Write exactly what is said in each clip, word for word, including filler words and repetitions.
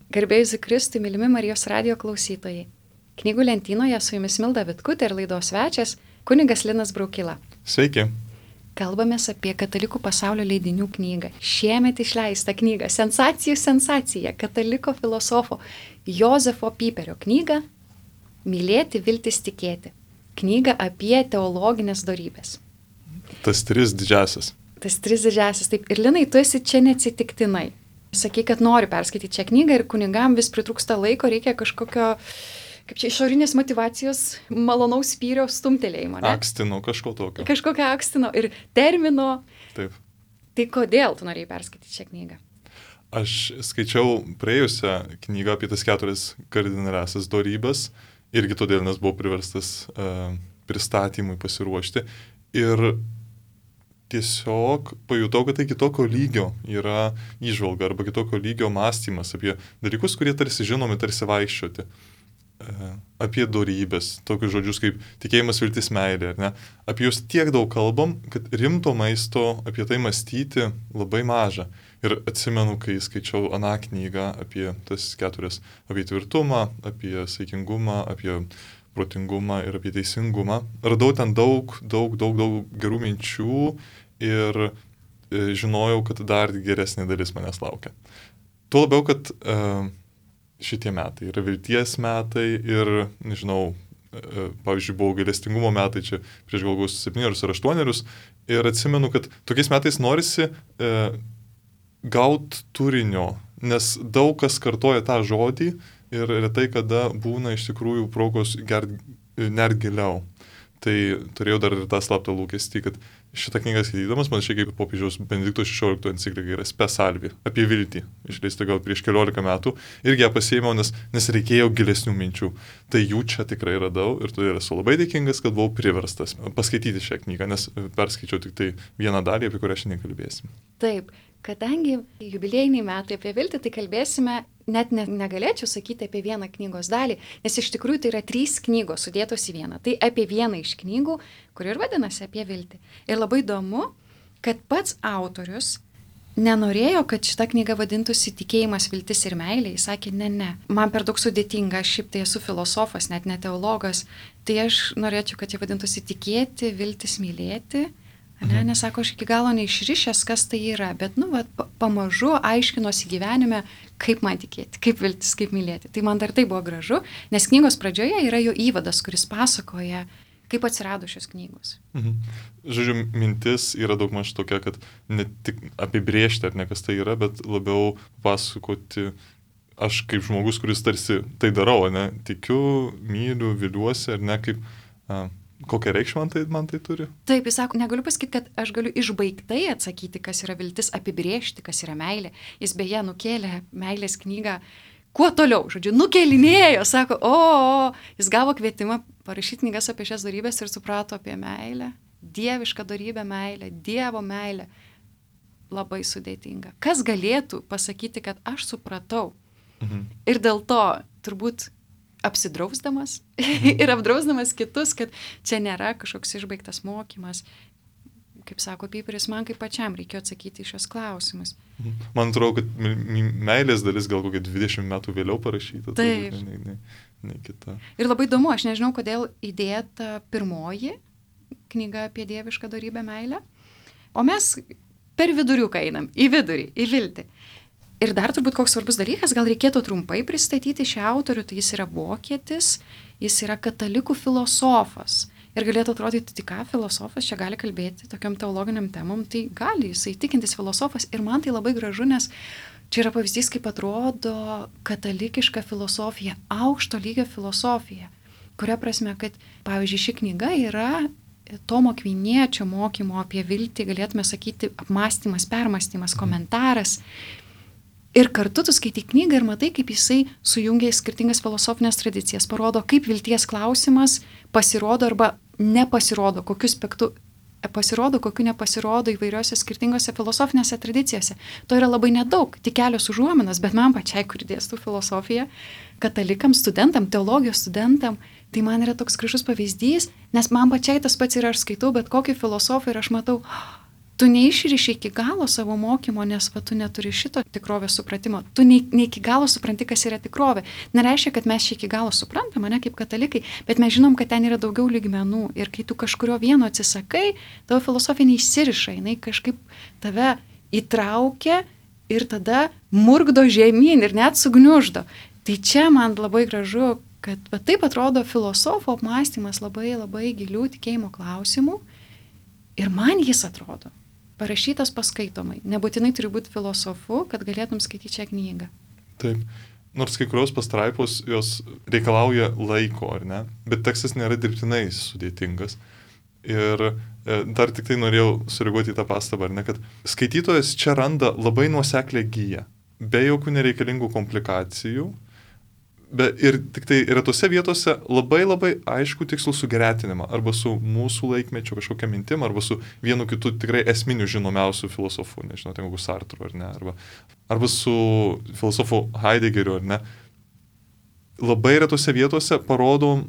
Garbėjus Kristui, mylimi Marijos radijo klausytojai. Knygų lentynoje su jumis Milda Vitkutė ir laidos svečias kunigas Linas Braukila. Sveiki. Kalbamės apie katalikų pasaulio leidinių knygą. Šiemet išleistą knygą, sensacijų sensacija, kataliko filosofo Jozefo Pyperio knygą Mylėti, viltis, tikėti. Knyga apie teologinės dorybės. Tas tris didžiasis. Tas tris didžiasis. Taip, ir Linai, tu esi čia neatsitiktinai. Sakai, kad nori perskaityti šią knygą ir kunigam vis pritrūksta laiko, reikia kažkokio, kaip čia, išorinės motyvacijos, malonaus spyrio stumtelėjimo. Ne? Akstino, kažko tokio. Kažkokio akstino ir termino. Taip. Tai kodėl tu norėjai perskaityti šią knygą? Aš skaičiau praėjusią knygą apie tas keturias kardinaliasias dorybes, irgi todėl, nes buvau priverstas uh, pristatymui pasiruošti. Ir tiesiog pajutau, kad tai kitokio lygio yra įžvalga arba kitokio lygio mąstymas apie dalykus, kurie tarsi žinomi, tarsi vaikščioti. E, apie dorybės, tokius žodžius kaip tikėjimas, viltis, meilė, ar ne? Apie juos tiek daug kalbam, kad rimto maisto apie tai mąstyti labai maža. Ir atsimenu, kai skaičiau aną knygą apie tas keturias, apie tvirtumą, apie saikingumą, apie protingumą ir apie teisingumą. Radau ten daug, daug, daug, daug gerų minčių ir e, žinojau, kad dar geresnė dalis manęs laukia. Tuo labiau, kad e, šitie metai yra vilties metai ir, nežinau, e, pavyzdžiui, buvo gailestingumo metai čia prieš galbūt septynerius ar aštuonerius ir atsimenu, kad tokiais metais norisi e, gauti turinio, nes daug kas kartoja tą žodį, ir retai kada būna iš tikrųjų progos gert net giliau. Tai turėjau dar ir tą slaptą lūkestį, kad šitą knygą skaitydamas, man šiek tiek kaip popiežiaus Benedikto šešioliktojo enciklika yra Spe Salvi, apie viltį, išleista gal prieš keliolika metų, irgi ją pasiėmiau, nes, nes reikėjo gilesnių minčių. Tai jų čia tikrai radau ir todėl esu labai dėkingas, kad buvau priverstas paskaityti šią knygą, nes perskaičiau tik tai vieną dalį, apie kurią šiandien kalbėsim. Taip. Kadangi jubiliejiniai metai apie viltį, tai kalbėsime, net ne, negalėčiau sakyti apie vieną knygos dalį, nes iš tikrųjų tai yra trys knygos sudėtos į vieną. Tai apie vieną iš knygų, kuri ir vadinasi apie viltį. Ir labai įdomu, kad pats autorius nenorėjo, kad šita knyga vadintųsi tikėjimas, viltis ir meilė. Jis sakė, ne, ne, man per daug sudėtinga, aš šiaip tai esu filosofas, net ne teologas, tai aš norėčiau, kad jie vadintųsi tikėti, viltis, mylėti. Ne, nes sako, aš iki galo neišrišęs, kas tai yra, bet, nu, va, pamažu aiškinosi gyvenime, kaip man tikėti, kaip viltis, kaip mylėti. Tai man dar tai buvo gražu, nes knygos pradžioje yra jo įvadas, kuris pasakoja, kaip atsirado šios knygos. Mhm. Žodžiu, mintis yra daug maž tokia, kad ne tik apibrėžti, ar ne kas tai yra, bet labiau pasakoti, aš kaip žmogus, kuris tarsi tai darau, ne, tikiu, myliu, viliuosi, ar ne, kaip... A, kokią reikšmę man tai, man tai turi? Taip, jis sako, negaliu pasakyti, kad aš galiu išbaigtai atsakyti, kas yra viltis, apibrėžti, kas yra meilė. Jis beje nukėlė meilės knygą kuo toliau, žodžiu, nukėlinėjo, sako, o, o, jis gavo kvietimą parašyti knygas apie šias dorybės ir suprato apie meilę, dievišką dorybę meilę, Dievo meilę. Labai sudėtinga. Kas galėtų pasakyti, kad aš supratau? Mhm. Ir dėl to turbūt apsidrausdamas ir apdrausdamas kitus, kad čia nėra kažkoks išbaigtas mokymas. Kaip sako Pyperis, man kaip pačiam reikėjo atsakyti į šios klausimus. Man atrodo, kad meilės dalis gal kokia dvidešimt metų vėliau parašyta. Taip. Ne, ne, ne kita. Ir labai įdomu, aš nežinau, kodėl įdėta pirmoji knyga apie dievišką dorybę meilę, o mes per viduriuką einam, į vidurį, į viltį. Ir dar turbūt koks svarbus dalykas, gal reikėtų trumpai pristatyti šią autorių, tai jis yra vokietis, jis yra katalikų filosofas. Ir galėtų atrodyti, tai ką filosofas čia gali kalbėti tokiam teologiniam temom, tai gali, jisai tikintis filosofas. Ir man tai labai gražu, nes čia yra pavyzdys, kaip atrodo katalikiška filosofija, aukšto lygio filosofija, kuria prasme, kad, pavyzdžiui, ši knyga yra Tomo Akviniečio mokymo apie viltį, galėtume sakyti, apmąstymas, permąstymas, komentaras. Ir kartu tu skaitai knygą ir matai, kaip jisai sujungia skirtingas filosofinės tradicijas, parodo, kaip vilties klausimas pasirodo arba nepasirodo, kokiu aspektu pasirodo, kokiu nepasirodo įvairiose skirtingose filosofinėse tradicijose. To yra labai nedaug, tik kelios užuominos, bet man pačiai, kur dėstu filosofiją, katalikam, studentam, teologijos studentam, tai man yra toks gražus pavyzdys, nes man pačiai tas pats yra, aš skaitau, bet kokį filosofą ir aš matau, tu neišriši iki galo savo mokymo, nes va, tu neturi šito tikrovės supratimo. Tu ne, ne iki galo supranti, kas yra tikrovė. Nereiškia, kad mes šį iki galo suprantam, ne kaip katalikai, bet mes žinom, kad ten yra daugiau lygmenų. Ir kai tu kažkurio vieno atsisakai, tavo filosofija neįsiriša, jinai kažkaip tave įtraukia ir tada murgdo žemyn ir net sugniuždo. Tai čia man labai gražu, kad va, taip atrodo filosofo apmąstymas labai labai gilių tikėjimo klausimų. Ir man jis atrodo parašytas paskaitomai. Nebūtinai turi būti filosofu, kad galėtum skaityti šią knygą. Taip. Nors kai kurios pastraipos jos reikalauja laiko, ar ne? Bet tekstas nėra dirbtinai sudėtingas. Ir e, dar tik tai norėjau sureaguoti į tą pastabą, ar ne, kad skaitytojas čia randa labai nuoseklę giją, be jokių nereikalingų komplikacijų. Be, ir tik tai yra tose vietose labai labai aišku tikslų sugretinimą arba su mūsų laikmečio kažkokia mintim, arba su vienu kitu tikrai esminiu žinomiausiu filosofu, nežinau, ten kokiu Sartru ar ne, arba, arba su filosofu Heideggeriu ar ne. Labai retose vietose parodom,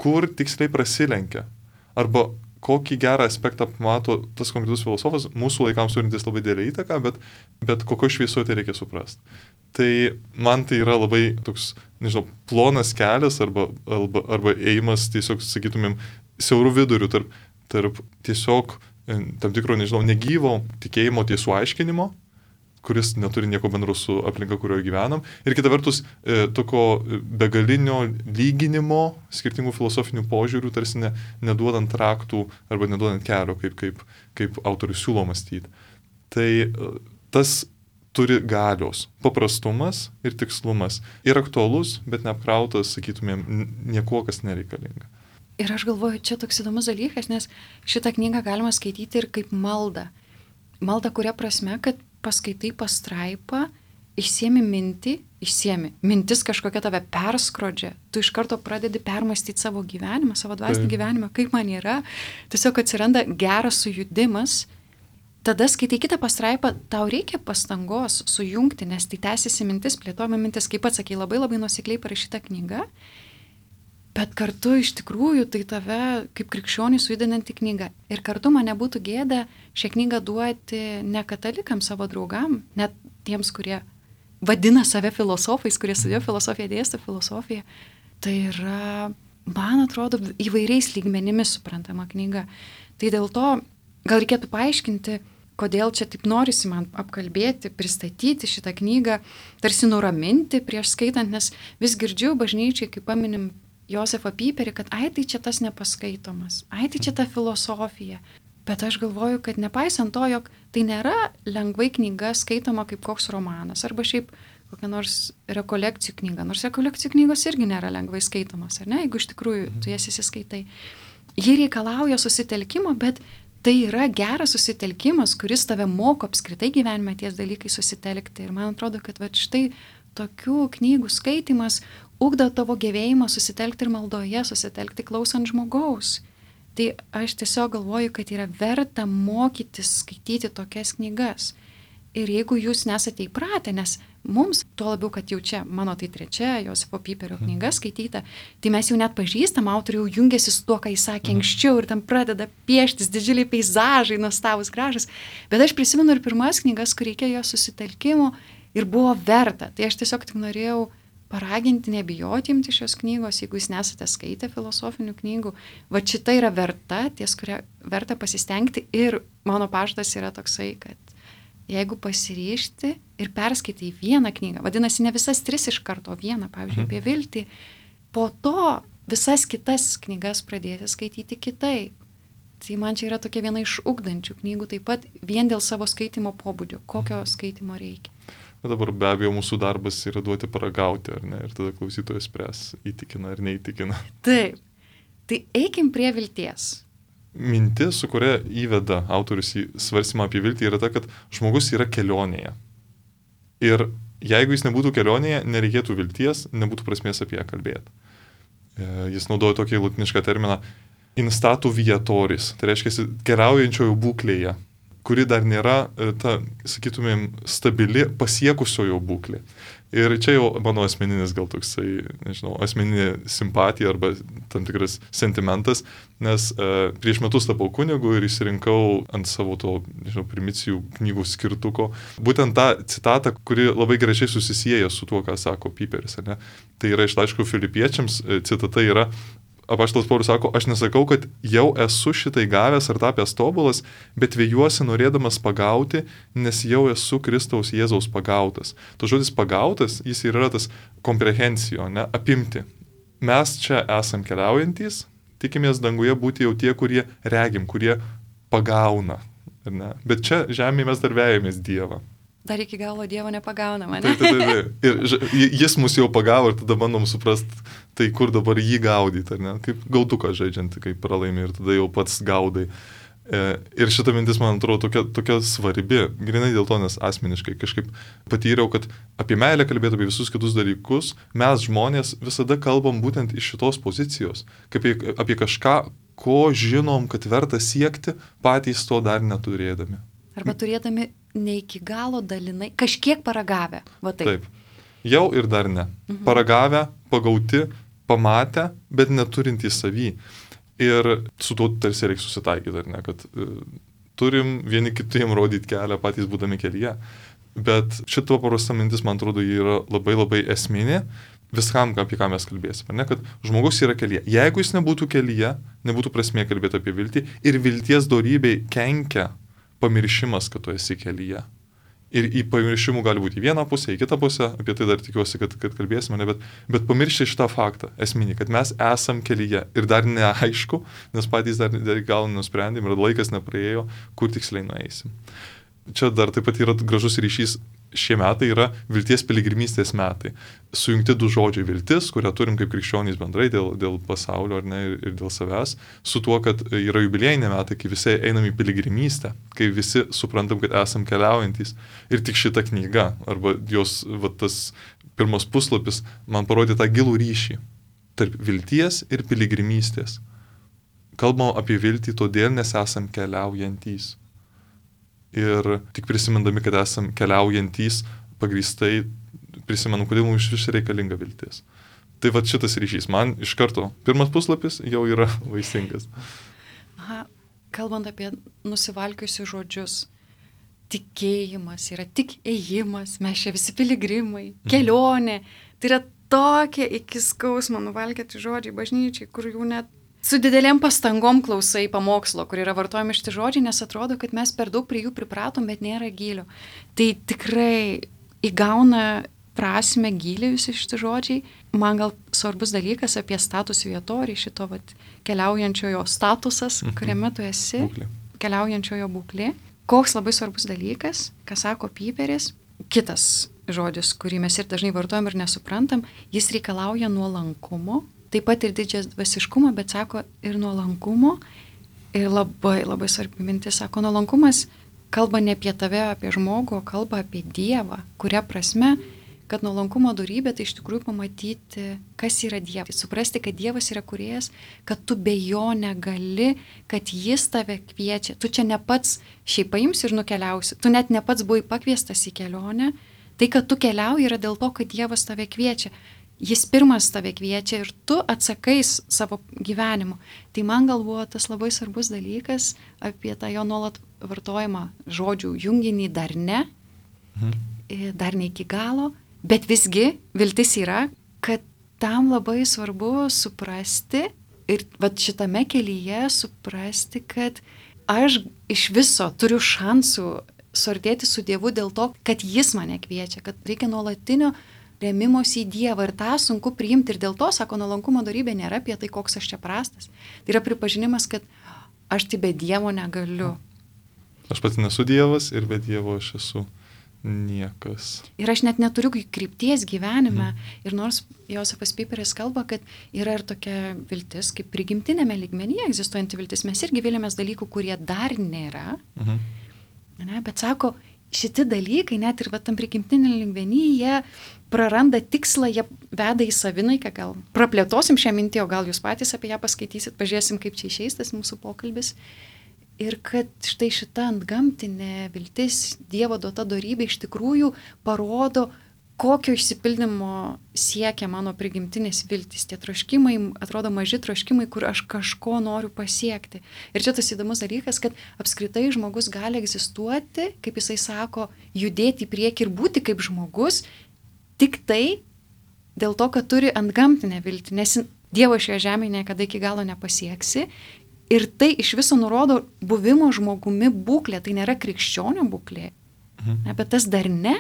kur tiksliai prasilenkia, arba kokį gerą aspektą mato tas konkretus filosofas, mūsų laikams turintis labai didelį įtaką, bet, bet kokio šviesoje tai reikia suprasti. Tai man tai yra labai toks, nežinau, plonas kelias arba, arba, arba ėjimas tiesiog, sakytumėm, siaurų vidurių tarp, tarp tiesiog tam tikro, nežinau, negyvo tikėjimo tiesų aiškinimo, kuris neturi nieko bendro su aplinka, kurioje gyvenam, ir kita vertus e, tokio begalinio lyginimo skirtingų filosofinių požiūrių, tarsi ne, neduodant raktų arba neduodant kelio, kaip, kaip, kaip autorius siūlo mąstyti. Tai tas turi galios, paprastumas ir tikslumas. Ir aktualus, bet neapkrautas, sakytumėm, niekuo, kas nereikalinga. Ir aš galvoju, čia toks įdomus dalykas, nes šitą knygą galima skaityti ir kaip maldą. Malda kuria prasme, kad paskaitai pastraipą, išsiemi mintį, išsiemi. Mintis kažkokia tave perskrodžia. Tu iš karto pradedi permastyti savo gyvenimą, savo dvasinį gyvenimą, kaip man yra. Tiesiog atsiranda geras sujudimas. Tada skaitai kitą pastraipą, tau reikia pastangos sujungti, nes tai tęsiasi mintis, plėtojama mintis, kaip pats sakei, labai labai nuosekliai parašyta knyga, bet kartu iš tikrųjų tai tave kaip krikščionį sujudinanti knyga. Ir kartu man nebūtų gėda šią knygą duoti ne katalikams savo draugam, net tiems, kurie vadina save filosofais, kurie studijuoja filosofiją, dėsto filosofiją. Tai yra, man atrodo, įvairiais lygmenimis suprantama knyga. Tai dėl to gal reikėtų paaiškinti, kodėl čia taip norisi man apkalbėti, pristatyti šitą knygą, tarsi nuraminti prieš skaitant, nes vis girdžiu bažnyčiai, kai paminim Josefą Pyperį, kad ai tai čia tas nepaskaitomas, ai tai čia ta filosofija. Bet aš galvoju, kad nepaisant to, jog tai nėra lengvai knyga skaitoma kaip koks romanas, arba šiaip kokia nors rekolekcijų knyga, nors rekolekcijų knygos irgi nėra lengvai skaitomas, ar ne, jeigu iš tikrųjų tu jas įsiskaitai. Ji reikalauja susitelkimo, bet tai yra geras susitelkimas, kuris tave moko apskritai gyvenime ties dalykai susitelkti. Ir man atrodo, kad va, štai tokių knygų skaitimas ugdo tavo gebėjimą susitelkti ir maldoje, susitelkti klausant žmogaus. Tai aš tiesiog galvoju, kad yra verta mokytis skaityti tokias knygas. Ir jeigu jūs nesate įpratę, nes mums, tuo labiau, kad jau čia mano tai trečia Josefo Pyperio knyga skaityta, tai mes jau net pažįstam, autoriai jau jungiasi su tuo, ką jis sakė anksčiau ir tam pradeda pieštis didžiuliai peizažai, nuostabus, gražus. Bet aš prisimenu ir pirmas knygas, kur reikėjo susitelkimo ir buvo verta. Tai aš tiesiog tik norėjau paraginti, nebijoti imti šios knygos, jeigu jūs nesate skaitę filosofinių knygų. Va šita yra verta, ties kuria verta pasistengti ir mano pažadas yra toksai, kad jeigu pasiryžti ir perskaitai vieną knygą, vadinasi, ne visas tris iš karto, vieną, pavyzdžiui, apie viltį, po to visas kitas knygas pradėti skaityti kitaip. Tai man čia yra tokia viena iš ugdančių knygų, taip pat vien dėl savo skaitimo pobūdžio, kokio skaitimo reikia. Bet dabar be abejo mūsų darbas yra duoti paragauti, ar ne, ir tada klausytojas spręs, įtikina ar neįtikina. Taip, tai eikim prie vilties. Mintis, su kuria įveda autorius į svarstymą apie viltį, yra ta, kad žmogus yra kelionėje. Ir jeigu jis nebūtų kelionėje, nereikėtų vilties, nebūtų prasmės apie ją kalbėti. Jis naudoja tokį latinišką terminą in statu viatoris, tai reiškia keliaujančiojo būklėje, kuri dar nėra ta, sakytumėm, stabili pasiekusiojo būklė. Ir čia jau mano asmeninis gal toksai, nežinau, asmeninė simpatija arba tam tikras sentimentas, nes e, prieš metus tapau kunigu ir išsirinkau ant savo to, nežinau, primicijų knygų skirtuko būtent tą citatą, kuri labai gražiai susisieja su tuo, ką sako Piperis. Ne? Tai yra iš laiškų Filipiečiams, citata yra: Apaštalas Paulius sako, aš nesakau, kad jau esu šitai gavęs ar tapęs tobulas, bet vėjuosi norėdamas pagauti, nes jau esu Kristaus Jėzaus pagautas. To žodis pagautas, jis yra tas komprehensijo, ne, apimti. Mes čia esam keliaujantys, tikimės danguje būti jau tie, kurie regim, kurie pagauna. Ne? Bet čia žemėje mes dar vejamės Dievą. Dar iki galo Dievo nepagaunama, Tai, ne? tai, tai, tai. Ir jis mus jau pagavo ir tada bandom suprasti, tai kur dabar jį gaudyti, ar ne? Kaip gauduką žaidžiant, kaip pralaimi ir tada jau pats gaudai. E, ir šita mintis, man atrodo, tokia, tokia svarbi, grinai dėl to, nes asmeniškai kažkaip patyriau, kad apie meilę kalbėti, apie visus kitus dalykus, mes žmonės visada kalbam būtent iš šitos pozicijos, kaip apie, apie kažką, ko žinom, kad verta siekti, patys to dar neturėdami. Arba turėdami ne iki galo dalinai, kažkiek paragavę. Va taip. Taip. Jau ir dar ne. Mhm. Paragavę, pagauti, pamatę, bet neturintys savy. Ir su tuo tarsi reikia susitaikyti, ar ne, kad e, turim vieni kitiem rodyti kelią, patys būdami kelyje. Bet šito paprasta mintis, man atrodo, ji yra labai labai esminė viskam, apie ką mes kalbėsime. Ne, kad žmogus yra kelyje. Jeigu jis nebūtų kelyje, nebūtų prasmė kalbėti apie viltį ir vilties dorybei kenkia pamiršimas, kad tu esi kelyje. Ir į pamiršimų gali būti į vieną pusę, į kitą pusę, apie tai dar tikiuosi, kad, kad kalbėsime, ne, bet, bet pamiršti šitą faktą esminį, kad mes esam kelyje ir dar neaišku, nes patys dar, dar gal nusprendėm ir laikas nepraėjo, kur tiksliai nueisim. Čia dar taip pat yra gražus ryšys, šie metai yra vilties piligrimystės metai. Sujungti du žodžiai viltis, kurią turim kaip krikščionys bendrai dėl, dėl pasaulio ar ne, ir dėl savęs, su tuo, kad yra jubiliejiniai metai, kai visi einam į piligrimystę, kai visi suprantam, kad esam keliaujantys. Ir tik šita knyga, arba jos va, tas pirmas puslapis, man parodė tą gilų ryšį tarp vilties ir piligrimystės. Kalbam apie viltį todėl, nes esam keliaujantys. Ir tik prisimindami, kad esam keliaujantys, pagrįstai prisimenu, kodėl mums iš vis reikalinga viltis. Tai va šitas ryšys. Man iš karto pirmas puslapis jau yra vaisingas. Aha, kalbant apie nusivalkiusius žodžius, tikėjimas yra tik ėjimas, mes čia visi piligrimai, kelionė. Tai yra tokie iki skausmo nuvalkėti žodžiai bažnyčiai, kur jau net su didelėm pastangom klausai pamokslo, kur yra vartojami šitie žodžiai, nes atrodo, kad mes per daug prie jų pripratom, bet nėra gylio. Tai tikrai įgauna prasme gylį visi šitie žodžiai. Man gal svarbus dalykas apie status vietorį, šito vat, keliaujančiojo statusas, kuriame tu esi, Būklė. Keliaujančiojo būklė. Koks labai svarbus dalykas, ką sako Piperis, kitas žodis, kurį mes ir dažnai vartojam ir nesuprantam, jis reikalauja nuolankumo. Taip pat ir didžias dvasiškumo, bet sako ir nuolankumo. Ir labai, labai svarbi mintis, sako, nuolankumas kalba ne apie tave, apie žmogų, o kalba apie Dievą. Kuria prasme, kad nuolankumo dorybė tai iš tikrųjų pamatyti, kas yra Dievas. Suprasti, kad Dievas yra kūrėjas, kad tu be jo negali, kad jis tave kviečia. Tu čia ne pats šiaip paimsi ir nukeliausi. Tu net ne pats buvai pakviestas į kelionę. Tai, kad tu keliauji, yra dėl to, kad Dievas tave kviečia. Jis pirmas tave kviečia ir tu atsakais savo gyvenimu. Tai man gal buvo tas labai svarbus dalykas apie tą jo nuolat vartojimą žodžių junginį dar ne, mhm. dar ne iki galo, bet visgi viltis yra, kad tam labai svarbu suprasti ir vat šitame kelyje suprasti, kad aš iš viso turiu šansų suartėti su Dievu dėl to, kad jis mane kviečia, kad reikia nuolatinio remimosi į Dievą ir tą sunku priimti ir dėl to, sako, nuolankumo dorybė nėra apie tai, koks aš čia prastas. Tai yra pripažinimas, kad aš tai be Dievo negaliu. Aš pats nesu Dievas ir be Dievo aš esu niekas. Ir aš net neturiu krypties gyvenime. Mm. Ir nors Josefas Piperis kalba, kad yra ir tokia viltis, kaip prigimtinėme lygmenyje egzistuojanti viltis, mes irgi vėliamės dalykų, kurie dar nėra. Mm. Ne, bet sako, šiti dalykai, net ir va, tam prigimtinė lygmenyje, jie praranda tikslą, jie veda į savinaiką, gal praplėtosim šią mintį, o gal jūs patys apie ją paskaitysit, pažiūrėsim, kaip čia išeis tas mūsų pokalbis. Ir kad štai šita antgamtinė viltis, Dievo duota dorybė iš tikrųjų parodo kokio išsipildymo siekia mano prigimtinės viltis. Tie troškimai, atrodo maži troškimai, kur aš kažko noriu pasiekti. Ir čia tas įdomus dalykas, kad apskritai žmogus gali egzistuoti, kaip jisai sako, judėti į priekį ir būti kaip žmogus, tik tai dėl to, kad turi antgamtinę viltį, nes Dievo šioje žemėje niekada iki galo nepasieksi. Ir tai iš viso nurodo buvimo žmogumi būklė, tai nėra krikščionio būklė. Mhm. Ne, bet tas dar ne,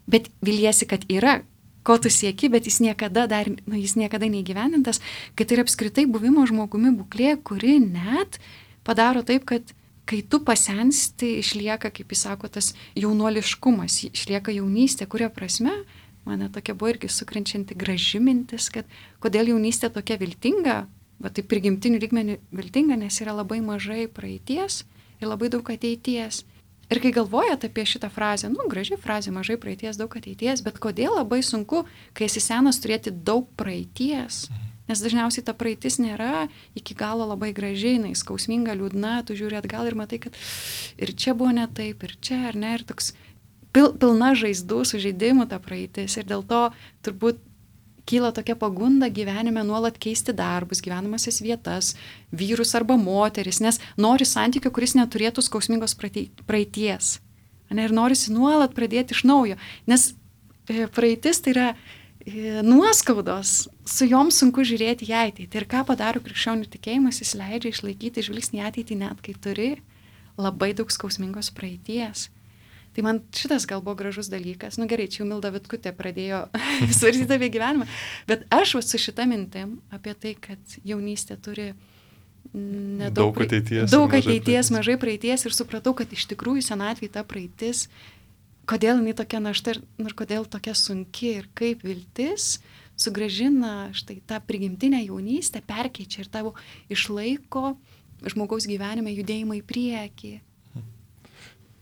bet viliesi, kad yra, ko tu sieki, bet jis niekada dar, nu, jis niekada neįgyvendintas, kad tai yra apskritai buvimo žmogumi būklė, kuri net padaro taip, kad kai tu pasensti, išlieka, kaip jis sako, tas jaunuoliškumas, išlieka jaunystė, kuria prasme, mane tokia buvo irgi sukrenčianti graži mintis, kad kodėl jaunystė tokia viltinga, va taip prigimtinių lygmenių viltinga, nes yra labai mažai praeities ir labai daug ateities. Ir kai galvojat apie šitą frazę, nu, graži frazė, mažai praeities, daug ateities, bet kodėl labai sunku, kai esi senas, turėti daug praeities? Nes dažniausiai ta praeitis nėra iki galo labai gražiai, jinai skausminga, liūdna, tu žiūri atgal ir matai, kad ir čia buvo ne taip, ir čia, ar ne, ir toks pil, pilna žaizdų, sužeidimų ta praeitis. Ir dėl to turbūt kyla tokia pagunda gyvenime nuolat keisti darbus, gyvenamasias vietas, vyrus arba moteris, nes nori santykių, kuris neturėtų skausmingos praeities. Ne, ir norisi nuolat pradėti iš naujo, nes praeitis tai yra nuoskaudos, su jom sunku žiūrėti į ateitį. Ir ką padaro krikščionių tikėjimas, jis leidžia išlaikyti žvilgsnį į ateitį net kai turi labai daug skausmingos praeities. Tai man šitas gal buvo gražus dalykas. Nu gerai, čia jau Milda Vitkutė pradėjo svarstyti apie gyvenimą. Bet aš su šita mintim apie tai, kad jaunystė turi nedaug, daug ateities, daug mažai ateities praeities. mažai praeities ir supratau, kad iš tikrųjų senatvėje ta praeitis, kodėl jinai tokia našta ir, ir kodėl tokia sunki ir kaip viltis sugrąžina štai tą prigimtinę jaunystę, perkeičia ir tavo išlaiko žmogaus gyvenime judėjimą į priekį.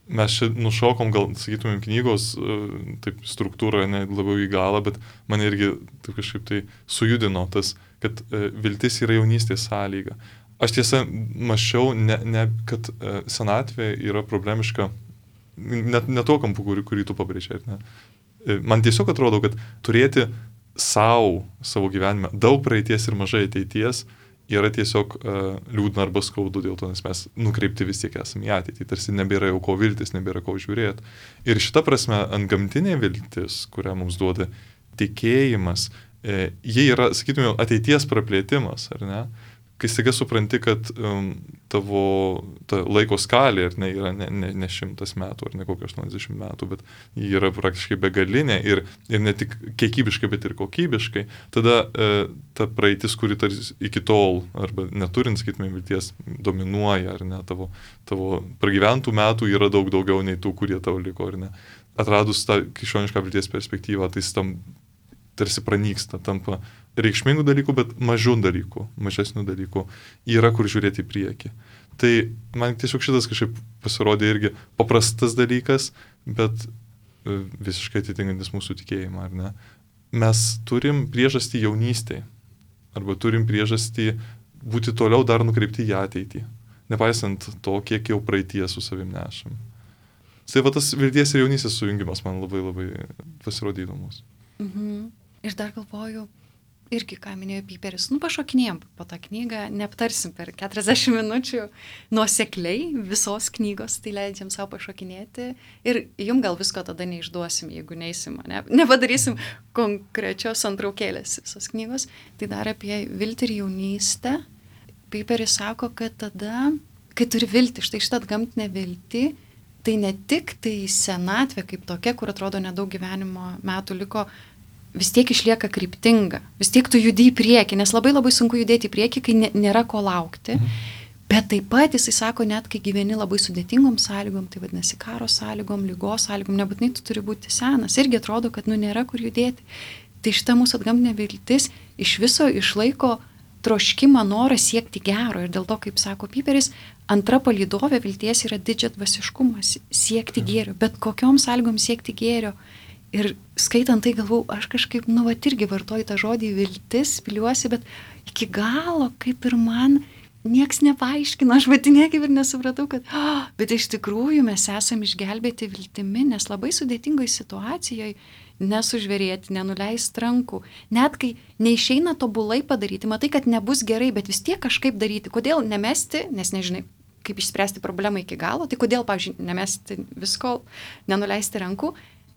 Mes čia nušokom, gal sakytumėm, knygos taip struktūroje ne labiau į galą, bet mane irgi taip kažkaip tai sujudino tas, kad viltis yra jaunystės sąlyga. Aš tiesa mačiau, ne, ne, kad senatvė yra problemiška, net ne to kampu, kurį, kurį tu pabrėžė. Ne? Man tiesiog atrodo, kad turėti savo, savo gyvenime daug praeities ir mažai ateities yra tiesiog uh, liūdna arba skaudu dėl to, nes mes nukreipti vis tiek esame į ateitį, tarsi nebėra jau ko viltis, nebėra ko žiūrėti. Ir šita prasme, antgamtinė viltis, kurią mums duoda tikėjimas, e, jie yra, sakytume, ateities praplėtimas, ar ne? Kai staiga supranti, kad um, tavo ta laiko skalė ar ne, yra ne, ne, ne šimtas metų ar ne kokie aštuoniasdešimt metų, bet ji yra praktiškai begalinė ir, ir ne tik kiekybiškai, bet ir kokybiškai, tada e, ta praeitis, kuri tarsi iki tol arba neturint, sakytume, vilties dominuoja, ar ne, tavo, tavo pragyventų metų yra daug daugiau nei tų, kurie tau liko, ar ne. Atradus tą krikščionišką vilties perspektyvą, tai tam tarsi pranyksta, tampa reikšmingų dalykų, bet mažų dalykų, mažesnių dalykų yra kur žiūrėti į priekį. Tai man tiesiog šitas kažkaip pasirodė irgi paprastas dalykas, bet visiškai atitinkantis mūsų tikėjimą, ar ne? Mes turim priežastį jaunystėje, arba turim priežastį būti toliau dar nukreipti į ateitį, nepaisant to, kiek jau praeitie su savim nešam. Tai va tas vilties ir jaunystės sujungimas man labai labai pasirodė įdomus. Mhm. Ir dar galvoju, irgi, ką minėjo Piperis, nu pašokinėjom po tą knygą, neaptarsim per keturiasdešimt minučių nuosekliai visos knygos, tai leidžiam savo pašokinėti ir jum gal visko tada neišduosim, jeigu neisim, ne, nepadarysim konkrečios antraukėlės visos knygos. Tai dar apie viltį ir jaunystę. Piperis sako, kad tada, kai turi viltį, štai šitą gamtinę viltį, tai ne tik tai senatvė kaip tokia, kur atrodo nedaug gyvenimo metų liko, vis tiek išlieka kryptinga, vis tiek tu judi į priekį, nes labai labai sunku judėti į priekį, kai nėra ko laukti, bet taip pat jisai sako, net kai gyveni labai sudėtingom sąlygom, tai vadinasi karo sąlygom, lygos sąlygom, nebūtinai tu turi būti senas, irgi atrodo, kad nu nėra kur judėti. Tai šita mūsų atgamtinė viltis iš viso išlaiko troškimą, norą siekti gero ir dėl to, kaip sako Piperis, antra palydovė vilties yra didžiadvasiškumas, siekti gėrio, bet kokiom sąlygom siekti gėrio. Ir skaitant tai galvau, aš kažkaip, nu, vat irgi vartoju tą žodį viltis, piliuosi, bet iki galo, kaip ir man, nieks nepaaiškino, aš pati niekaip ir nesupratau, kad, oh, bet iš tikrųjų mes esame išgelbėti viltimi, nes labai sudėtingoje situacijoje nesužvėrėti, nenuleisti rankų. Net kai neišeina tobulai padaryti, matai, kad nebus gerai, bet vis tiek kažkaip daryti. Kodėl nemesti, nes nežinai, kaip išspręsti problemą iki galo, tai kodėl, pavyzdžiui, nemesti visko, nenuleisti rankų.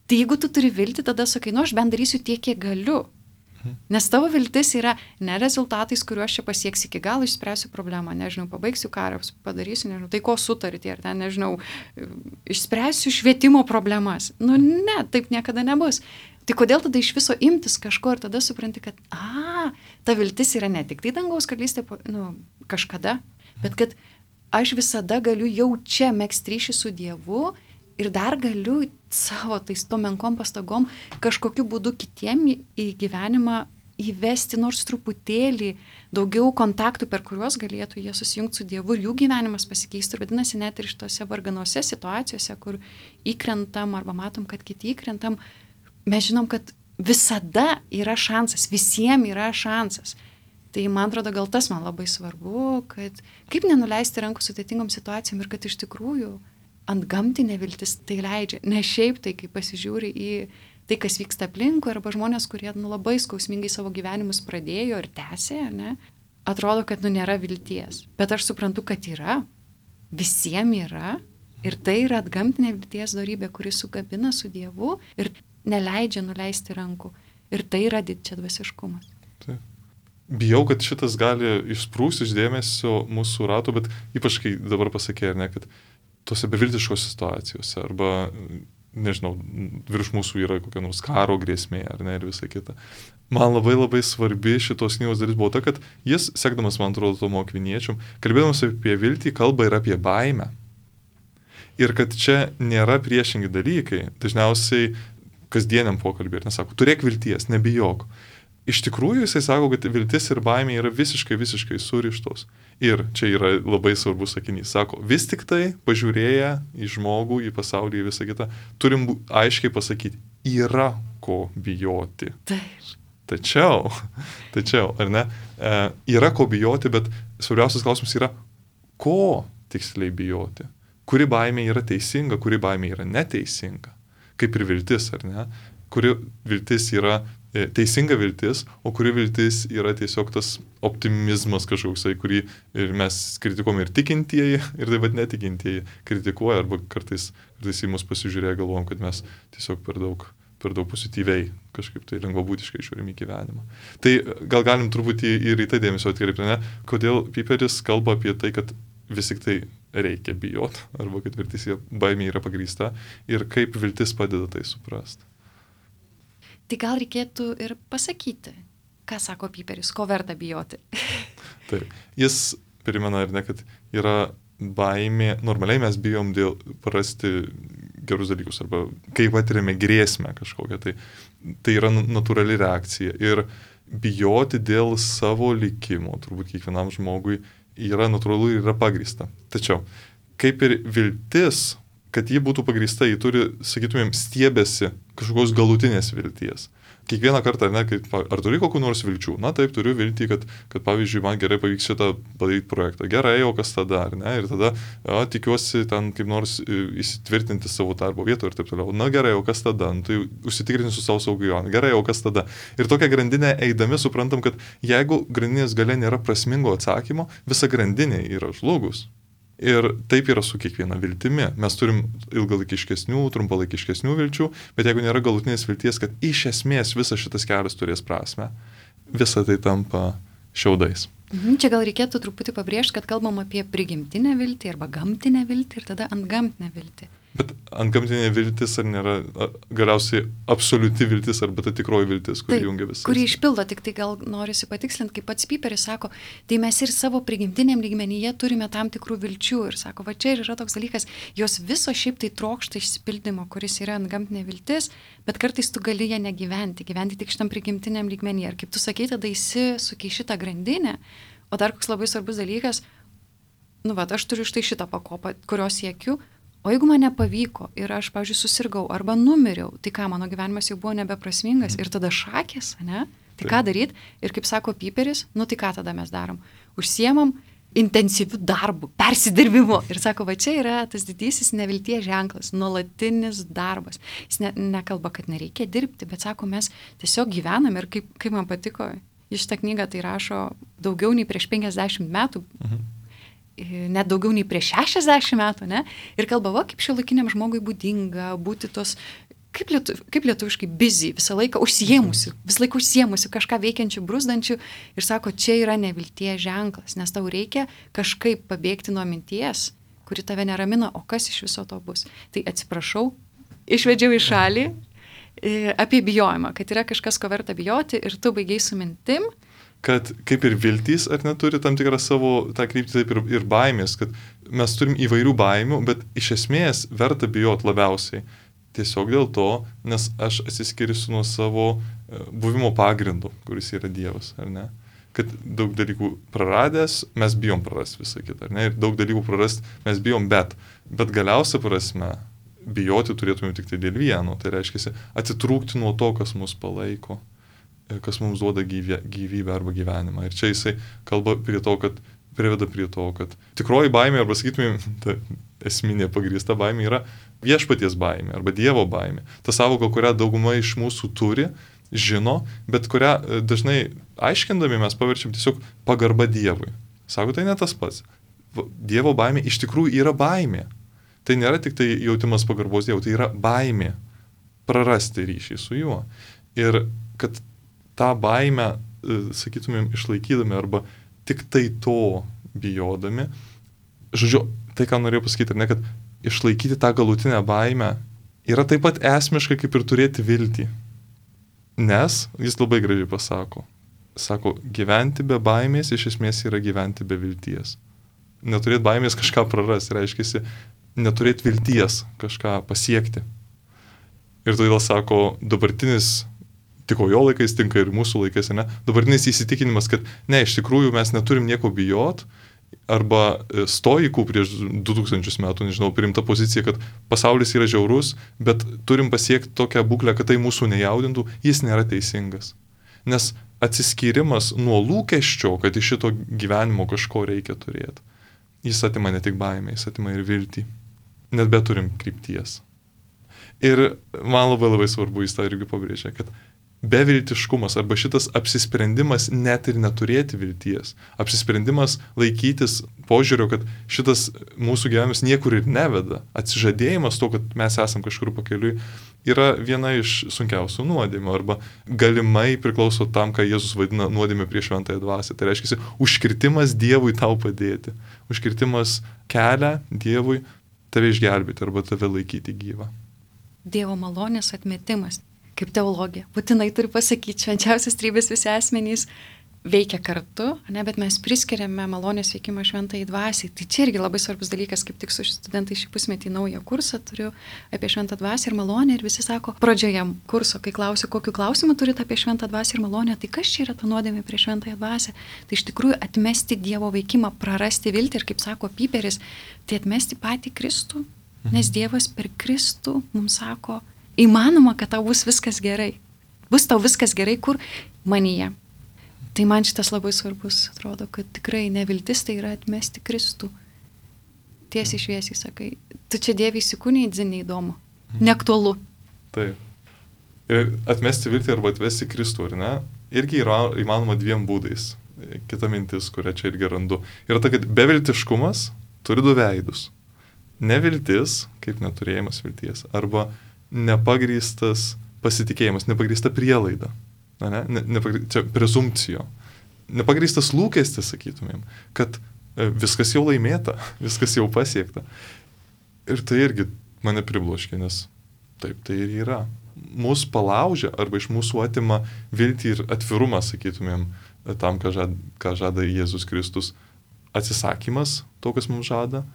Tai jeigu tu turi viltį, tada sakai, nu aš bent darysiu tiek, kiek galiu. Nes tavo viltis yra ne rezultatais, kuriuos čia pasieks iki galo, išspręsiu problemą, nežinau, pabaigsiu karą, padarysiu, nežinau, tai ko sutarti, ar ten, nežinau, išspręsiu švietimo problemas. Nu ne, taip niekada nebus. Tai kodėl tada iš viso imtis kažko ir tada supranti, kad, a, ta viltis yra ne tik tai dangaus karalystė, nu, kažkada, bet kad aš visada galiu jau čia megzti ryšį su Dievu ir dar galiu savo tais to menkom pastagom kažkokiu būdu kitiem į gyvenimą įvesti nors truputėlį daugiau kontaktų, per kuriuos galėtų jie susijungti su Dievu ir jų gyvenimas pasikeistų. Ir vadinasi, net ir šitose varganose situacijose, kur įkrentam arba matom, kad kiti įkrentam, mes žinom, kad visada yra šansas, visiems yra šansas. Tai man atrodo, gal tas man labai svarbu, kad kaip nenuleisti rankų sudėtingom situacijom ir kad iš tikrųjų ant gamtinė viltis tai leidžia. Ne šiaip tai, kai pasižiūri į tai, kas vyksta aplinkui, arba žmonės, kurie nu, labai skausmingai savo gyvenimus pradėjo ir tęsė, ne, atrodo, kad nu, nėra vilties. Bet aš suprantu, kad yra, visiems yra, ir tai yra atgamtinė vilties dorybė, kuri sukabina su Dievu ir neleidžia nuleisti rankų. Ir tai yra didžiadvasiškumas. Taip. Bijau, kad šitas gali išsprūsti iš dėmesio mūsų ratų, bet ypač kai dabar pasakė, ne, kad tose beviltiškos situacijose, arba, nežinau, virš mūsų yra kokia nors karo grėsmė, ar ne, ir visa kita. Man labai labai svarbi šitos knygos dalis buvo ta, kad jis, sekdamas, man atrodo, Tomo Akviniečium, kalbėdamas apie viltį, kalba ir apie baimę. Ir kad čia nėra priešingi dalykai, dažniausiai kasdieniam pokalbį, ir nesako, turėk vilties, nebijok. Iš tikrųjų, jisai sako, kad viltis ir baimė yra visiškai, visiškai surištos. Ir čia yra labai svarbus sakinys. Sako, vis tik tai, pažiūrėję į žmogų, į pasaulį, į visą kitą, turim aiškiai pasakyti, yra ko bijoti. Taip. Tačiau, tačiau, ar ne, e, yra ko bijoti, bet svarbiausias klausimas yra, ko tiksliai bijoti. Kuri baimė yra teisinga, kuri baimė yra neteisinga. Kaip ir viltis, ar ne? Kuri viltis yra teisinga viltis, o kuri viltis yra tiesiog tas optimizmas kažkoksai, kurį ir mes kritikuojame ir tikintieji, ir taip pat netikintieji kritikuoja, arba kartais, kartais į mus pasižiūrėję galvojam, kad mes tiesiog per daug, per daug pozityviai kažkaip tai lengvabūdiškai žiūrim į gyvenimą. Tai gal galim truputį ir į tai dėmesio atkreipti, ne? Kodėl Piperis kalba apie tai, kad vis tik tai reikia bijoti, arba kad viltis baimė yra pagrįsta, ir kaip viltis padeda tai suprasti. Tai gal reikėtų ir pasakyti, ką sako Piperis, ko verta bijoti. Taip, jis primena ir ne, kad yra baimė, normaliai mes bijom dėl prarasti gerus dalykus, arba kai patiriame grėsmę kažkokią, tai, tai yra natūrali reakcija. Ir bijoti dėl savo likimo, turbūt kiekvienam žmogui, yra natūralu ir yra pagrįsta. Tačiau, kaip ir viltis, kad ji būtų pagrįsta, ji turi, sakytumėm, stiebėsi kažkokios galutinės vilties. Kiekvieną kartą, ne, kaip, ar turi kokių nors vilčių? Na taip, turiu viltį, kad, kad pavyzdžiui, man gerai pavyks šitą padaryti projektą. Gerai, o kas tada, ar ne? Ir tada o, tikiuosi ten kaip nors įsitvirtinti savo darbo vietą ir taip toliau. Na gerai, o kas tada? Nu, tai užsitikrinsiu savo saugijoną. Gerai, o kas tada? Ir tokią grandinę eidami suprantam, kad jeigu grandinės gale nėra prasmingo atsakymo, visa grandinė yra žlugus. Ir taip yra su kiekviena viltimi. Mes turim ilgalaikiškesnių, trumpalaikiškesnių vilčių, bet jeigu nėra galutinės vilties, kad iš esmės visas šitas kelias turės prasmę, visa tai tampa šiaudais. Mhm, čia gal reikėtų truputį pabrėžti, kad kalbam apie prigimtinę viltį arba gamtinę viltį ir tada antgamtinę viltį. Bet antgamtinė viltis ar nėra galiausiai absoliuti viltis arba ta tikroji viltis, kuri jungia visas? Kuri išpildo, tik tai gal norisi patikslinti, kaip pats Piperis sako, tai mes ir savo prigimtiniam lygmenyje turime tam tikrų vilčių ir sako, va čia ir yra toks dalykas, jos viso šiaip tai trokšta išsipildymo, kuris yra antgamtinė viltis, bet kartais tu gali ją negyventi, gyventi tik šitam prigimtiniam lygmenyje. Ir kaip tu sakai, tada įsisuki šitą grandinę, o dar koks labai svarbus dalykas, nu va, aš turiu štai šitą pakopą, kurios siekiu. O jeigu man nepavyko ir aš, pavyzdžiui, susirgau arba numiriau, tai ką, mano gyvenimas jau buvo nebeprasmingas ir tada šakės, ne? Tai ką daryti? Ir kaip sako Piperis, nu tai ką tada mes darom? Užsiemam intensyviu darbu, persidirbimu. Ir sako, va čia yra tas didysis nevilties ženklas, nuolatinis darbas. Jis ne, nekalba, kad nereikia dirbti, bet sako, mes tiesiog gyvenam ir kaip, kaip man patiko, iš tą knygą tai rašo daugiau nei prieš penkiasdešimt metų, mhm. net daugiau nei prieš šešiasdešimt metų, ne? Ir kalba, va, kaip šiuolaikiniam žmogui būdinga būti tos, kaip, lietu, kaip lietuviškai, busy, visą laiką užsiemusi, visą laiką užsiemusi, kažką veikiančių, brūzdančių. Ir sako, čia yra nevilties ženklas, nes tau reikia kažkaip pabėgti nuo minties, kuri tave neramina, o kas iš viso to bus. Tai atsiprašau, išvedžiau į šalį apie bijojimą, kad yra kažkas, ko verta bijoti ir tu baigiai su mintim. Kad kaip ir viltys, ar neturi tam tikrą savo tą kryptį, taip ir, ir baimės, kad mes turim įvairių baimių, bet iš esmės verta bijoti labiausiai. Tiesiog dėl to, nes aš atsiskirsiu nuo savo buvimo pagrindų, kuris yra Dievas, ar ne? Kad daug dalykų praradęs, mes bijom prarasti visą kitą, ar ne? Ir daug dalykų prarasti mes bijom, bet, bet galiausia prasme, bijoti turėtume tik tai dėl vieno. Tai reiškia atitrūkti nuo to, kas mus palaiko, kas mums duoda gyvybę, gyvybę arba gyvenimą. Ir čia jisai kalba prie to, kad priveda prie to, kad tikroji baimė, arba sakytumėm, ta esminė pagrįsta baimė yra viešpaties baimė arba Dievo baimė. Ta savoka, kurią dauguma iš mūsų turi, žino, bet kurią dažnai aiškindami mes paverčiam tiesiog pagarba Dievui. Sako, tai ne tas pats. Dievo baimė iš tikrųjų yra baimė. Tai nėra tik tai jautimas pagarbos Dievui, tai yra baimė prarasti ryšį su juo. Ir kad tą baimę, sakytumėm, išlaikydami arba tik tai to bijodami, žodžiu, tai ką norėjau pasakyti, ar ne, kad išlaikyti tą galutinę baimę yra taip pat esmiška kaip ir turėti viltį. Nes, jis labai gražiai pasako, sako, gyventi be baimės iš esmės yra gyventi be vilties. Neturėti baimės kažką prarasti, reiškia, neturėti vilties kažką pasiekti. Ir todėl sako, dabartinis, tiko jo laikais, tinka ir mūsų laikais, ne, dabartinis įsitikinimas, kad ne, iš tikrųjų mes neturim nieko bijot, arba stoikų prieš du tūkstančius metų, nežinau, priimta pozicija, kad pasaulis yra žiaurus, bet turim pasiekti tokią būklę, kad tai mūsų nejaudintų, jis nėra teisingas. Nes atsiskyrimas nuo lūkesčio, kad iš šito gyvenimo kažko reikia turėti, jis atima ne tik baimę, jis atima ir viltį. Net bet turim krypties. Ir man labai labai svarbu, jis tą irgi pabrėžia, kad beviltiškumas arba šitas apsisprendimas net ir neturėti vilties, apsisprendimas laikytis požiūrio, kad šitas mūsų gyvenimas niekur ir neveda, atsižadėjimas to, kad mes esam kažkur pakeliui, yra viena iš sunkiausių nuodėmių arba galimai priklauso tam, ką Jėzus vadina nuodėmė prieš šventąją dvasią. Tai reiškia, užkirtimas Dievui tau padėti, užkirtimas kelią Dievui tave išgelbėti arba tave laikyti gyvą. Dievo malonės atmetimas. Kaip teologija, būtinai turiu pasakyti, švenčiausios trybės visi asmenys veikia kartu, ne, bet mes priskiriame malonės veikimą šventai dvasiai. Tai čia irgi labai svarbus dalykas, kaip tik su studentai šį pusmetį naują kursą turiu apie šventą dvasią ir malonę ir visi sako, pradžioje kurso, kai klausiu, kokiu klausimu turite apie šventą dvasią ir malonę, tai kas čia yra ta nuodėmė prie šventąją dvasią? Tai iš tikrųjų atmesti Dievo veikimą, prarasti viltį ir kaip sako Piperis, tai atmesti patį Kristų, nes Dievas per Kristų mums sako, įmanoma, kad tau bus viskas gerai. Bus tau viskas gerai, kur manyje. Tai man šitas labai svarbus, atrodo, kad tikrai neviltis tai yra atmesti Kristų. Tiesiai šviesiai sakai, tu čia Dievui įsikūniai, dzin neįdomu, neaktualu. Taip. Ir atmesti viltį arba atvesti Kristų, ar ne, irgi yra įmanoma dviem būdais. Kita mintis, kurią čia irgi randu, yra ta, kad beviltiškumas turi du veidus. Neviltis, kaip neturėjimas vilties, arba nepagrįstas pasitikėjimas, nepagrįsta prielaida, ne, ne, nepagry, čia prezumpcijo, nepagrįstas lūkestis, sakytumėm, kad viskas jau laimėta, viskas jau pasiekta. Ir tai irgi mane pribloškė, nes taip tai ir yra. Mūsų palaužia arba iš mūsų atima viltį ir atvirumą, sakytumėm, tam, ką žada, ką žada Jėzus Kristus, atsisakymas to, kas mums žada,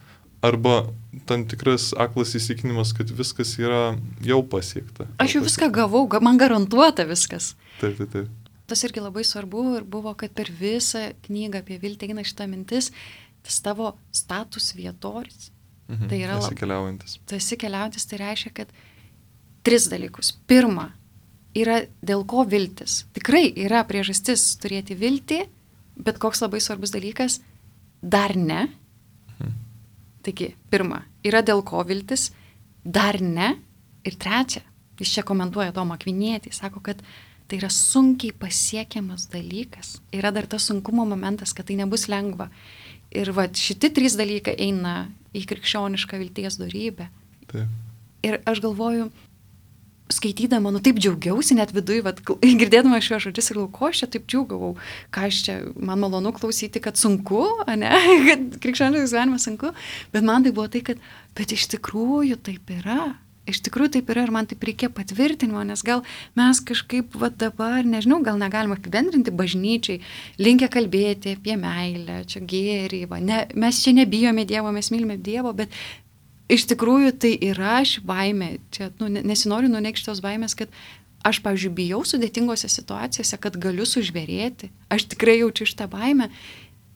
arba tam tikras aklas įsitikinimas, kad viskas yra jau pasiekta. Aš jau viską gavau, man garantuota viskas. Taip, taip, taip. Tas irgi labai svarbu ir buvo, kad per visą knygą apie viltį eina šitą mintis, tas tavo status vietoris. Mhm, tai yra esi keliaujantis. Tu esi keliaujantis, tai reiškia, kad tris dalykus. Pirma, yra dėl ko viltis. Tikrai yra priežastis turėti viltį, bet koks labai svarbus dalykas, dar ne. Mhm. Taigi, pirma, yra dėl ko viltis, dar ne. Ir trečia, jis čia komentuoja Tomą Akvinietį, sako, kad tai yra sunkiai pasiekiamas dalykas. Yra dar tas sunkumo momentas, kad tai nebus lengva. Ir va, šitie trys dalykai eina į krikščionišką vilties dorybę. Taip. Ir aš galvoju, skaitydama, nu taip džiaugiausi net viduje, vat, girdėdama šiuos žodžius ir lauko, aš čia taip džiaugavau, ką aš čia, man malonu klausyti, kad sunku, ne, kad krikščioniškas gyvenimas sunku, bet man tai buvo tai, kad, bet iš tikrųjų taip yra. Iš tikrųjų taip yra ir man taip reikia patvirtinimo, nes gal mes kažkaip va dabar, nežinau, gal negalima apibendrinti bažnyčiai, linkę kalbėti apie meilę, čia gėrį, va, ne, mes čia nebijome Dievo, mes mylime Dievo, bet iš tikrųjų tai yra ši baimė, čia nu, nesinoriu nuneigti tos baimės, kad aš, pavyzdžiui, bijau sudėtingose situacijose, kad galiu sužvėrėti, aš tikrai jaučiu šitą baimę.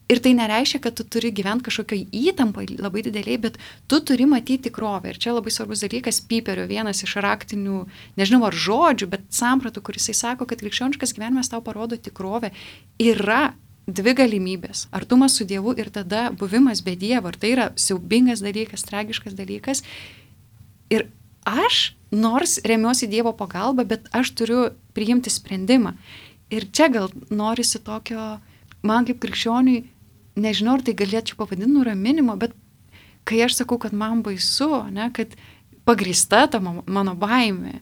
Ir tai nereiškia, kad tu turi gyventi kažkokioj įtampai labai dideliai, bet tu turi matyti tikrovę. Ir čia labai svarbus dalykas, Piperio vienas iš raktinių, nežinau ar žodžių, bet sampratų, kuris jis sako, kad krikščioniškas gyvenimas tau parodo tikrovę. Yra dvi galimybės. Artumas su Dievu ir tada buvimas be Dievo. Ir tai yra siaubingas dalykas, tragiškas dalykas. Ir aš, nors remiuosi Dievo pagalba, bet aš turiu priimti sprendimą. Ir čia gal norisi tokio, man kaip krikščioniui, nežinau, ar tai galėčiau pavadinti nuraminimo, bet kai aš sakau, kad man baisu, ne, kad pagrįsta ta mano baimė,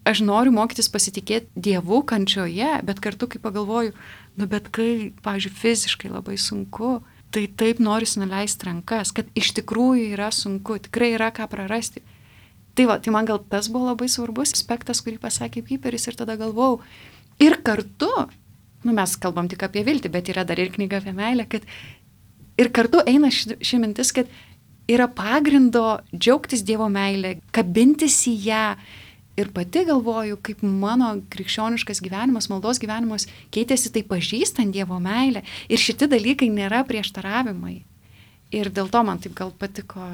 aš noriu mokytis pasitikėti Dievu kančioje, bet kartu, kai pagalvoju, nu bet kai, pavyzdžiui, fiziškai labai sunku, tai taip norisi nuleisti rankas, kad iš tikrųjų yra sunku, tikrai yra ką prarasti. Tai va, tai man gal tas buvo labai svarbus aspektas, kurį pasakė Piperis ir tada galvojau. Ir kartu, nu mes kalbam tik apie viltį, bet yra dar ir knyga apie meilę, kad ir kartu eina ši, ši mintis, kad yra pagrindo džiaugtis Dievo meilę, kabintis į ją. Ir pati galvoju, kaip mano krikščioniškas gyvenimas, maldos gyvenimas keitėsi tai pažįstant Dievo meilę. Ir šitie dalykai nėra prieštaravimai. Ir dėl to man taip gal patiko,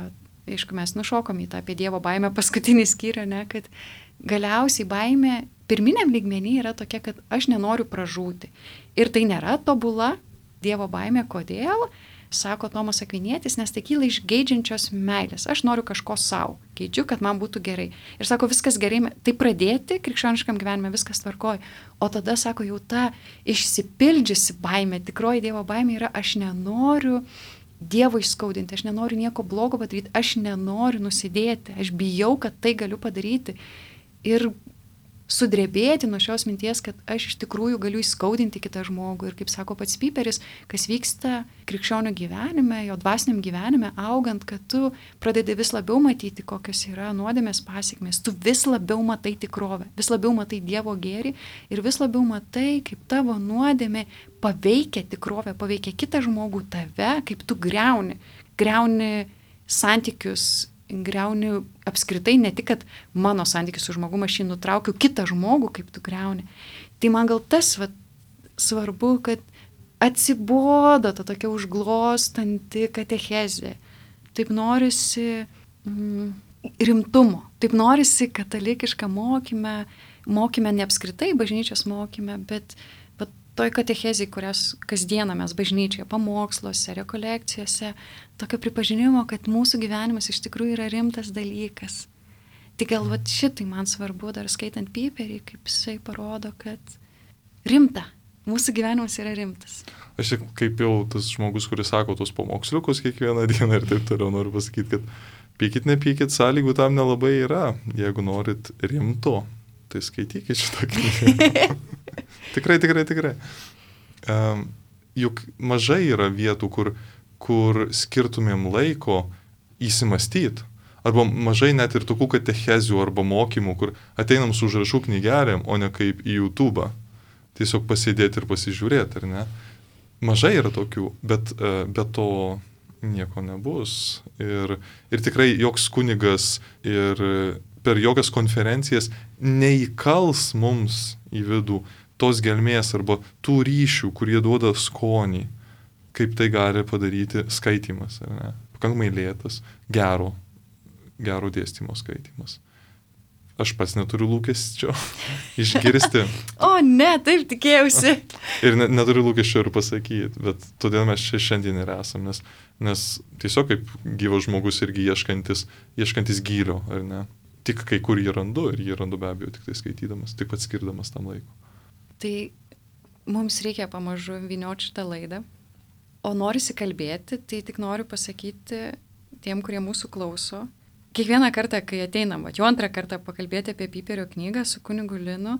aišku, mes nušokom į tą apie Dievo baimę paskutinį skyrių, ne, kad galiausiai baimė pirminiam lygmenį yra tokia, kad aš nenoriu pražūti. Ir tai nėra tobula Dievo baimė. Kodėl? Sako Tomas Akvinietis, nes tai kyla iš geidžiančios meilės. Aš noriu kažko savo, geidžiu, kad man būtų gerai. Ir sako, viskas gerai, tai pradėti krikščioniškam gyvenime, viskas tvarkoja. O tada, sako, jau ta išsipildžiusi baimė, tikroji Dievo baimė yra, aš nenoriu Dievo išskaudinti, aš nenoriu nieko blogo padaryti, aš nenoriu nusidėti, aš bijau, kad tai galiu padaryti. Ir sudrebėti nuo šios minties, kad aš iš tikrųjų galiu įskaudinti kitą žmogų. Ir kaip sako pats Piperis, kas vyksta krikščionio gyvenime, jo dvasiniam gyvenime, augant, kad tu pradedi vis labiau matyti, kokios yra nuodėmės pasiekmės. Tu vis labiau matai tikrovę, vis labiau matai Dievo gėrį ir vis labiau matai, kaip tavo nuodėmė paveikia tikrovę, paveikia kitą žmogų, tave, kaip tu greuni, greuni santykius, greuni apskritai, ne tik, kad mano santykis su žmogumu, aš jį nutraukiu, kitą žmogų, kaip tu greuni. Tai man gal tas va, svarbu, kad atsibodo ta tokia užglostanti katechezė. Taip norisi mm, rimtumo, taip norisi katalikišką mokyme, mokyme ne apskritai bažnyčios mokyme, bet toj katechezijai, kurias kasdieną mes bažnyčioje, pamoksluose, rekolekcijose, tokio pripažinimo, kad mūsų gyvenimas iš tikrųjų yra rimtas dalykas. Tai gal vat šitai man svarbu, dar skaitant Piperį, kaip jisai parodo, kad rimta, mūsų gyvenimas yra rimtas. Aš kaip jau tas žmogus, kuris sako tos pamoksliukus kiekvieną dieną ir taip toliau, noriu pasakyti, kad pykit, nepykit, sąlygų tam nelabai yra. Jeigu norit rimto, tai skaitykit šitą knygą. Tikrai, tikrai, tikrai. Um, juk mažai yra vietų, kur, kur skirtumėm laiko įsimastyti. Arba mažai net ir tokių katechezių arba mokymų, kur ateinam su užrašų knygelėm, o ne kaip į YouTube. Tiesiog pasėdėti ir pasižiūrėti, ar ne? Mažai yra tokių, bet uh, be to nieko nebus. Ir, ir tikrai joks kunigas ir per jokias konferencijas neįkals mums į vidų tos gelmės arba tų ryšių, kurie duoda skonį, kaip tai gali padaryti skaitymas, ar ne? Pakankamai lėtas, gero, gero dėstymo skaitymas. aš pats neturiu lūkesčio išgirsti. O ne, taip tikėjausi. Ir ne, neturiu lūkesčio ir pasakyti, bet todėl mes čia šiandien ir esam, nes, nes tiesiog kaip gyvas žmogus irgi ieškantis, ieškantis gylio, ar ne? Tik kai kur jį randu ir jį randu be abejo tik tai skaitydamas, tik pats skirdamas tam laiko. Tai mums reikia pamažu vynioti šitą laidą, o norisi kalbėti, tai tik noriu pasakyti tiem, kurie mūsų klauso. Kiekvieną kartą, kai ateinam, jau antrą kartą pakalbėti apie Piperio knygą su kunigu Linu,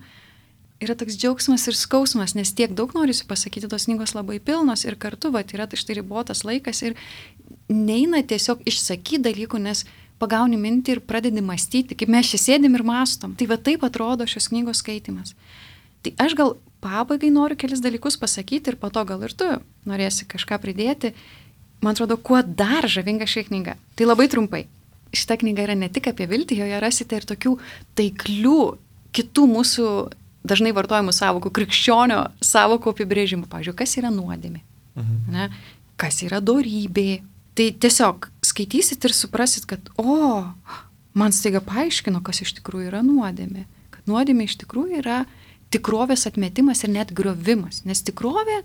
yra toks džiaugsmas ir skausmas, nes tiek daug norisi pasakyti, tos knygos labai pilnos ir kartu, va, yra štai ribotas laikas ir neina tiesiog išsakyti dalykų, nes pagauni mintį ir pradedi mąstyti, kaip mes čia sėdim ir mąstom. Tai va taip atrodo šios knygos skaitimas. Tai aš gal pabaigai noriu kelis dalykus pasakyti ir po to gal ir tu norėsi kažką pridėti. Man atrodo, kuo dar žavinga ši knyga. Tai labai trumpai. Šita knyga yra ne tik apie viltį, joje rasite ir tokių taiklių kitų mūsų dažnai vartojamų savokų, krikščionio savokų apibrėžimų. Pavyzdžiui, kas yra nuodėmė, mhm. ne? Kas yra dorybė. Tai tiesiog skaitysit ir suprasit, kad o, man staiga paaiškino, kas iš tikrųjų yra nuodėmė. Kad nuodėmė iš tikrųjų yra tikrovės atmetimas ir net griovimas. Nes tikrovė,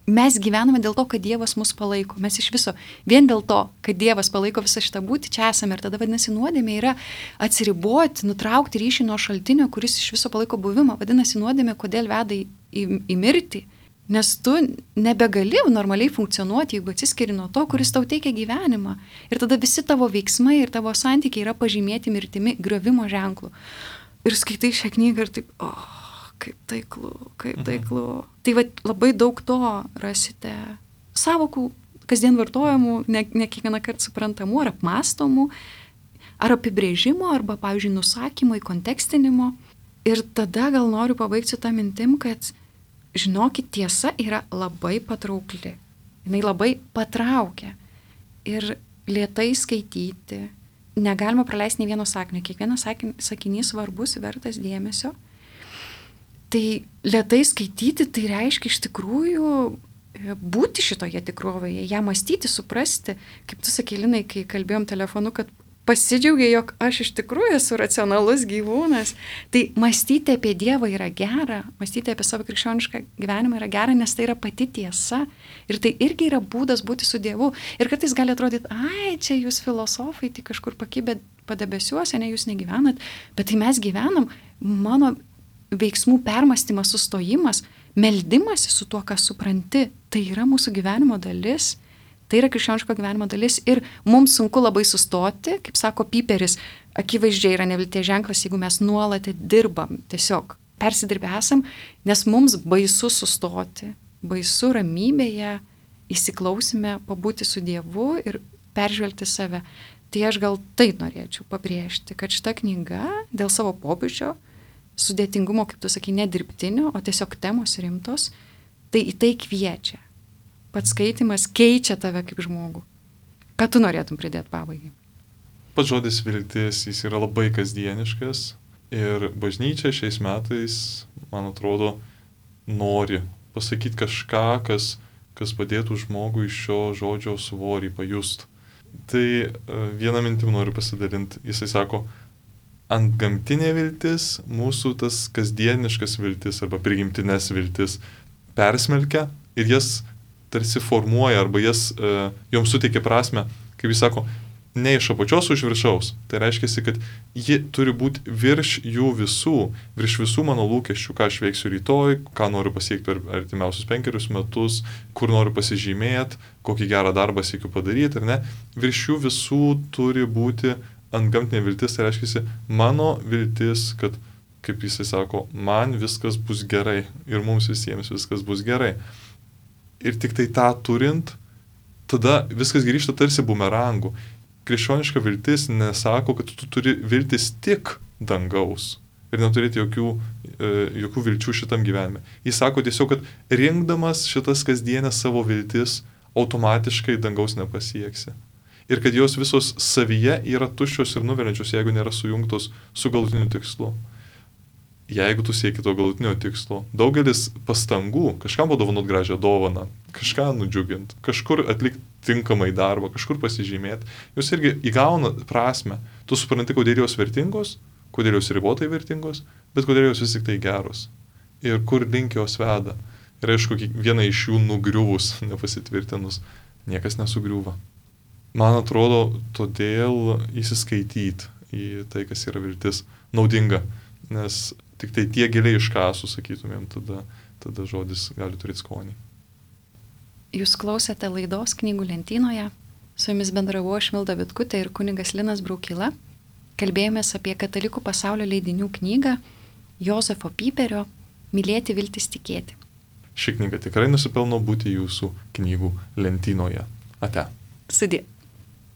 mes gyvename dėl to, kad Dievas mus palaiko. Mes iš viso, vien dėl to, kad Dievas palaiko visą šitą būtį, čia esame. Ir tada vadinasi nuodėmė yra atsiriboti, nutraukti ryšį nuo šaltinio, kuris iš viso palaiko buvimą. Vadinasi nuodėmė, kodėl veda į, į, į mirtį. Nes tu nebegali normaliai funkcionuoti, jeigu atsiskiri nuo to, kuris tau teikia gyvenimą. Ir tada visi tavo veiksmai ir tavo santykiai yra pažymėti mirtimi, griovimo ženklų. Ir skaitai šią knygą ir taip, o, oh, kaip taiklu, kaip taiklu. Mhm. Tai va, labai daug to rasite savokų, kasdien vartojamų, ne, ne kiekvieną kartą suprantamų ar apmastomų, ar apibrėžimo, arba, pavyzdžiui, nusakymo, įkontekstinimo. Ir tada gal noriu pabaigti su tą mintim, kad žinokit, tiesa yra labai patraukli. Jinai labai patraukia. Ir lėtai skaityti. Negalima praleisti nei vieno sakinio. Kiekvienas sakinys svarbus, vertas dėmesio. Tai lėtai skaityti, tai reiškia iš tikrųjų būti šitoje tikrovėje, ją mąstyti, suprasti. Kaip tu sakei, Linai, kai kalbėjom telefonu, kad pasidžiaugia, jog aš iš tikrųjų esu racionalus gyvūnas. Tai mąstyti apie Dievą yra gera, mąstyti apie savo krikščionišką gyvenimą yra gera, nes tai yra pati tiesa. Ir tai irgi yra būdas būti su Dievu. Ir kartais gali atrodyti, ai, čia jūs filosofai, tai kažkur pakibę padebesiuose, ne, jūs negyvenat. Bet tai mes gyvenam, mano veiksmų permąstymas, sustojimas, meldimas su tuo, ką supranti, tai yra mūsų gyvenimo dalis. Tai yra krikščioniško gyvenimo dalis ir mums sunku labai sustoti, kaip sako Piperis, akivaizdžiai yra nevilties ženklas, jeigu mes nuolat dirbam, tiesiog persidirbę esam, nes mums baisu sustoti, baisu ramybėje, įsiklausime, pabūti su Dievu ir peržvelgti save. Tai aš gal tai norėčiau pabrėžti, kad šita knyga dėl savo pobūdžio, sudėtingumo, kaip tu sakai, nedirbtinio, o tiesiog temos rimtos, tai į tai kviečia. Pats skaitimas keičia tave kaip žmogų. Ką tu norėtum pridėti pabaigai? Pats žodis viltis, jis yra labai kasdieniškas ir bažnyčia šiais metais, man atrodo, nori pasakyti kažką, kas, kas padėtų žmogui šio žodžio svorį pajust. Tai vieną mintim noriu pasidalinti. Jisai sako, antgamtinė viltis, mūsų tas kasdieniškas viltis arba prigimtinės viltis persmelkia ir jas tarsi formuoja arba jas, uh, joms suteikia prasme, kaip jis sako, ne iš apačios už viršaus. Tai reiškia, kad ji turi būti virš jų visų, virš visų mano lūkesčių, ką aš veiksiu rytoj, ką noriu pasiekti per artimiausius penkerius metus, kur noriu pasižymėti, kokį gerą darbą siekiu padaryti, ar ne. Virš jų visų turi būti antgamtinė viltis, tai reiškia, mano viltis, kad, kaip jisai sako, man viskas bus gerai ir mums visiems viskas bus gerai. Ir tik tai tą turint, tada viskas grįžta tarsi bumerangų. Krikščioniška viltis nesako, kad tu turi viltis tik dangaus ir neturėti jokių, e, jokių vilčių šitam gyvenime. Jis sako tiesiog, kad rinkdamas šitas kasdienės savo viltis, automatiškai dangaus nepasieksi. Ir kad jos visos savyje yra tuščios ir nuveliančios, jeigu nėra sujungtos su galutiniu tikslu. Jeigu tu sieki to galutinio tikslo, daugelis pastangų, kažkam padovanot gražią dovaną, kažką nudžiugint, kažkur atlikti tinkamai darbą, kažkur pasižymėti, jos irgi įgauna prasme. Tu supranti, kodėl jos vertingos, kodėl jos ribotai vertingos, bet kodėl jos vis tik tai geros. Ir kur link jos veda. Ir aišku, viena iš jų nugriuvus, nepasitvirtinus, niekas nesugriuva. Man atrodo, todėl įsiskaityti į tai, kas yra viltis, naudinga. Nes tik tai tie giliai iškasų, sakytumėm, tada, tada žodis gali turėti skonį. Jūs klausėte laidos Knygų lentynoje. Su jumis bendravau aš Milda Vitkutė ir kunigas Linas Braukyla. Kalbėjomės apie katalikų pasaulio leidinių knygą Jozefo Pyperio Mylėti, viltis, tikėti. Ši knyga tikrai nusipelno būti jūsų knygų lentynoje. Ate. Sudie.